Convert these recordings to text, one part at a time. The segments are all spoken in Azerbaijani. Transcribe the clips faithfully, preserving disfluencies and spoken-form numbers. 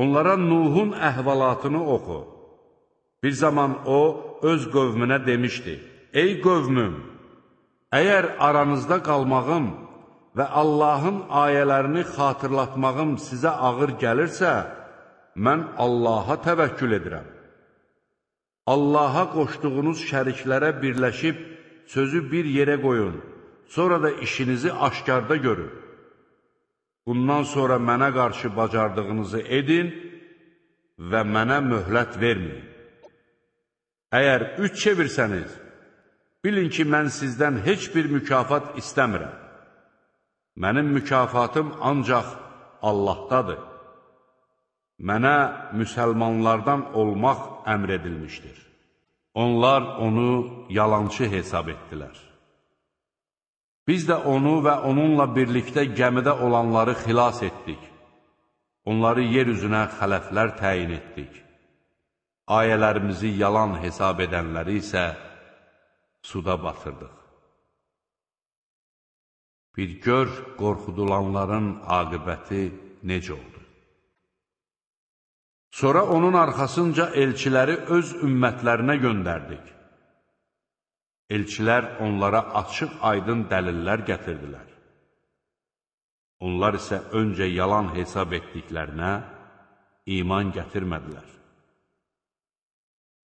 Onlara Nuhun əhvalatını oxu. Bir zaman o, öz qövmünə demişdi, ey qövmüm, əgər aranızda qalmağım və Allahın ayələrini xatırlatmağım sizə ağır gəlirsə, mən Allaha təvəkkül edirəm. Allaha qoşduğunuz şəriklərə birləşib sözü bir yerə qoyun, sonra da işinizi aşkarda görün. Bundan sonra mənə qarşı bacardığınızı edin və mənə möhlət verməyin. Əgər üç çevirsəniz, bilin ki, mən sizdən heç bir mükafat istəmirəm. Mənim mükafatım ancaq Allahdadır. Mənə müsəlmanlardan olmaq əmr edilmişdir. Onlar onu yalançı hesab etdilər. Biz də onu və onunla birlikdə gəmidə olanları xilas etdik. Onları yer üzünə xələflər təyin etdik. Ayələrimizi yalan hesab edənləri isə suda batırdıq. Bir gör, qorxudulanların aqibəti necə oldu. Sonra onun arxasınca elçiləri öz ümmətlərinə göndərdik. Elçilər onlara açıq aydın dəlillər gətirdilər. Onlar isə öncə yalan hesab etdiklərinə iman gətirmədilər.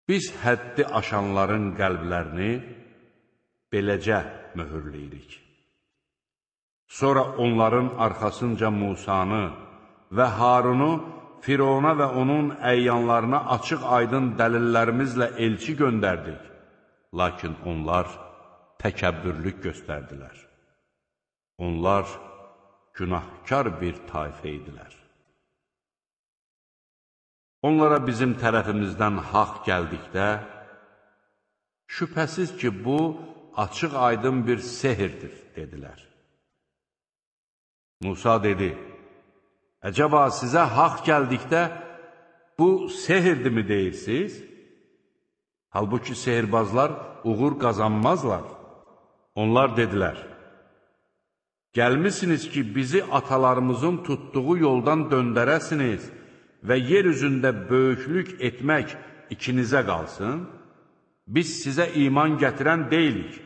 Biz həddi aşanların qəlblərini beləcə möhürləyirik. Sonra onların arxasınca Musanı və Harunu Firona və onun əyyanlarına açıq aydın dəlillərimizlə elçi göndərdik. Lakin onlar təkəbbürlük göstərdilər. Onlar günahkar bir tayfə idilər. Onlara bizim tərəfimizdən haqq gəldikdə, şübhəsiz ki, bu açıq aydın bir sehirdir, dedilər. Musa dedi, əcəba sizə haqq gəldikdə, bu sehirdirmi deyirsiniz? Halbuki sehirbazlar uğur qazanmazlar. Onlar dedilər, gəlmisiniz ki, bizi atalarımızın tutduğu yoldan döndərəsiniz və yer üzündə böyüklük etmək ikinizə qalsın, biz sizə iman gətirən deyilik.